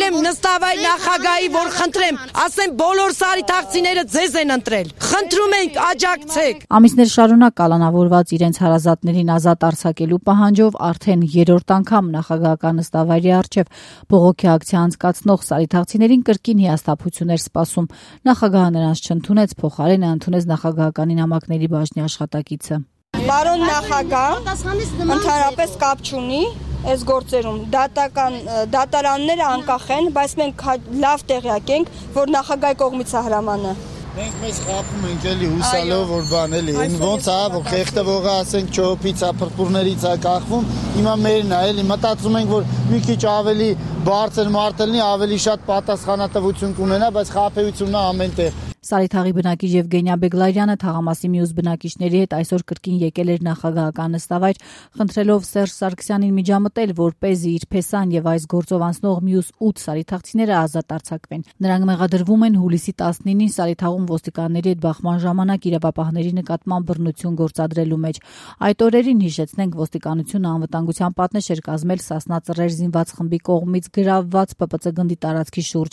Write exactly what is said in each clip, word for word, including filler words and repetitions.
եմ նստավայր նախագահի, որ խնդրեմ, ասեմ բոլոր սարիթաղցիները ձեզ են ընտրել։ Խնդրում ենք աջակցեք։ Ամիսներ շարունակ կալանավորված իրենց հարազատներին ազատ արձակելու պահանջով արդեն երրորդ անգամ նախագահական նստավայրի առջև բողոքի ակցիա անցկացնող սարիթաղցիներին կրկին հիասթափություն էր սպասում։ Նախագահը նրանց չընդունեց, փոխարենը ընդունեց նախագահական նամակների բաժնի աշխատակիցը։ Պարոն նախագահ, ընդհանրապես կապ չունի այս գործերում, դատական դատարանները անկախ են, բայց մենք լավ տեղյակ ենք, որ նախագահի կողմից է հրամանը։ Մենք մեզ խափում ենք էլի հուսալով, որ բան էլի, ոնց է, որ խեղդվողը ասենք չոփից է, փրփուրներից է կախվում, հիմա մերն է, էլի մտածում ենք, որ մի քիչ ավելի բարձր մարդ լինի, ավելի շատ պատասխանատվություն կունենա, բայց խափեությունն է ամենտեղ։ Սարիթաղի բնակիչ Եվգենիա Բեգլարյանը թաղամասի մյուս բնակիչների հետ այսօր կրկին եկել էր նախագահական նստավայր, խնդրելով Սերժ Սարգսյանին միջամտել, որպեսզի իր փեսան եւ այս գործով անցնող մյուս ութ սարիթաղցիները ազատ արձակվեն։ Նրանք մեղադրվում են հուլիսի տասնինին Սարիթաղում ոստիկանների հետ բախման ժամանակ իրավապահների նկատմամբ բռնություն գործադրելու մեջ։ Այդ օրերին, հիշեցնենք, ոստիկանությունը անվտանգության պատնեշ էր կազմել Սասնա ծռեր զինված խմբի կողմից գրավված Պ Պ Ց գնդի տարածքի շուրջ,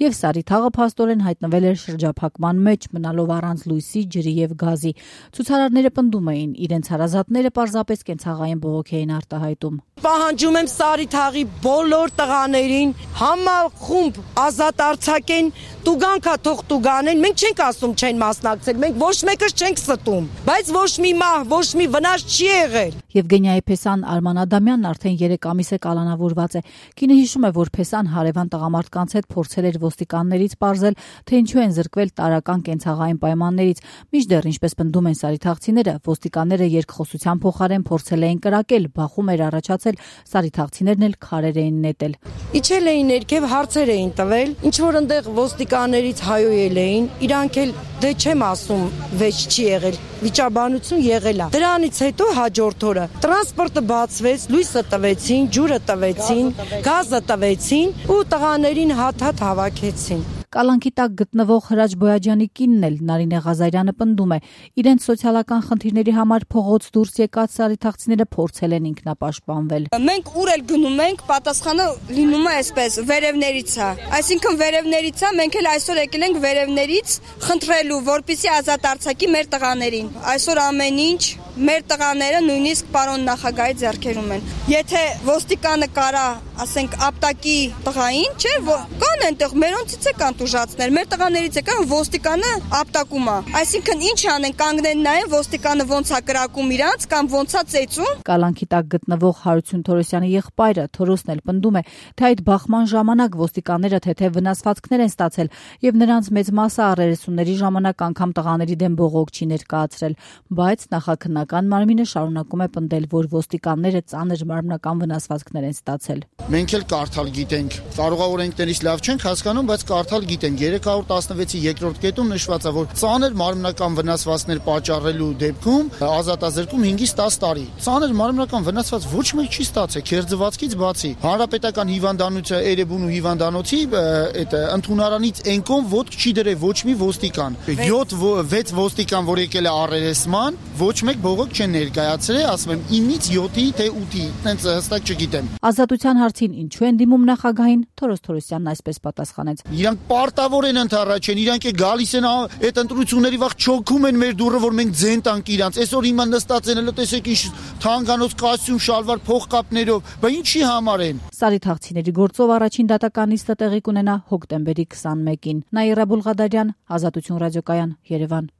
եւ Սարիթաղը փաստորեն հայտնվել էր շրջափակման մեջ, մնալով առանց լույսի, ջրի եւ գազի։ Ցուցարարները պնդում էին, իրենց հարազատները պարզապես կենցաղային բողոք էին արտահայտում։ Պահանջում եմ Սարիթաղի բոլոր տղաներին համախումբ ազատ արձակեն, տուգանքա թող տուգանեն, մենք չենք ասում չեն մասնակցել, մենք ոչ մեկս չենք ստում, բայց ոչ մի մահ, ոչ մի վնաս չի եղել։ Եվգենիայի փեսան Արման Ադամյանն արդեն երեք ամիս է կալանավորված է։ Կինը հիշում է, որ փեսան հարևան տղամարդկանց հետ փորձել էր ոստիկաններից պարզել, թե ինչու են զրկվել տարական կենցաղային պայմաններից, մինչդեռ, ինչպես պնդում են սարիթաղցիները, ոստիկանները երկխոսության փոխարեն փորձել էին կրակել, բախում էր առաջացել, սարիթաղցիներն էլ քարեր էին նետել։ Իջել էին ներքև, հարցեր էին տվել, ինչ որ այնտեղ ոստիկաններից հայոյել էին, իրանք էլ դե չեմ ասում, վեճ չի եղել, վիճաբանություն եղել է։ Դրանից հետո հաջորդ օրը տրանսպորտը բացվեց, լույսը տվեցին, ջուրը տվեցին, գազը տվեցին ու տղաներին հատ-հատ հավաքեցին։ Կալանքի տակ գտնվող Հրաչ Բոյաջյանի կինն էլ Նարինե Ղազարյանը պնդում է, իրենց սոցիալական խնդիրների համար փողոց դուրս եկած սարիթաղցիները փորձել են ինքնապաշտպանվել։ Մենք ուր էլ գնում ենք, պատասխանը լինում է այսպես, վերևներից է։ Այսինքն վերևներից է, մենք էլ այսօր եկել ենք վերևներից խնդրելու, որպեսզի ազատ արձակի մեր տղաներին։ Այսօր ամեն ինչ մեր տղաները նույնիսկ պարոն նախագահի ձեռքերում են։ Եթե ոստիկանը կարա, ասենք, ապտակի տղային, չէ, կան այնտեղ մերոնցից է կան տուժածներ, մեր տղաներից է կան ոստիկանը ապտակում է։ Այսինքն ինչ անեն, կանգնեն նայեն ոստիկանը ոնց է կրակում իրանց կամ ոնց է ծեծում։ Կալանքի տակ գտնվող Հարություն Թորոսյանի եղբայրը Թորոսն էլ պնդում է, թե այդ բախման ժամանակ ոստիկանները թեթև վնասվածքներ են ստացել եւ նրանց մեծ մասը առերեսումների ժամանակ անգամ տղաների դեմ բողոք չի ներկայացրել, բայց նախաքննական մարմինը շարունակում է պնդել, որ ոստիկանները ծանր մարմնական վնասվածքներ են ստացել։ Մենք էլ կարդալ գիտենք, կարող է օրենքներից լավ չենք հասկանում, բայց կարդալ գիտենք երեք հարյուր տասնվեցի երկրորդ կետում նշված է, որ ծանր մարմնական վնասվածքներ պատճառելու դեպքում ազատազրկում հինգից տաս տարի։ Ծանր մարմնական վնասված ոչ մեկ չի ստացել, քերծվածքից բացի։ Հանրապետական հիվանդանոցը Էրեբունու հիվանդանոցի այդ ընդունարանից ենկոն ոդկ չի դրել ոչ մի ոստիկան։ յոթ վեց ոստիկան, որ եկել է առերեսման, ոչ մեկ բողոք չեն ներկայացրել, ասում եմ ինից յոթի թե ութի, տենց հստակ չգիտեմ։ Ազատության հարցին ինչու են դիմում նախագահին, Թորոս Թորոսյանն այսպես պատասխանեց. Իրանք պարտավոր են ընդառաջեն, իրանք է գալիս են այդ ընտրությունների վաղ չոքում են մեր դուռը, որ մենք ձեն տանք իրանց։ Այսօր հիմա նստած են, հələ տեսեք ինչ թանկանոց կոստյում, շալվար, փողկապներով, բա ինչի համար են։ Սարիթաղցիների գործով առաջին դատական նիստը տեղի կունենա հոկտեմբերի քսանմեկին։ Նաիրա Բուլղադարյան, Ազատություն ռադիոկայան, Երևան։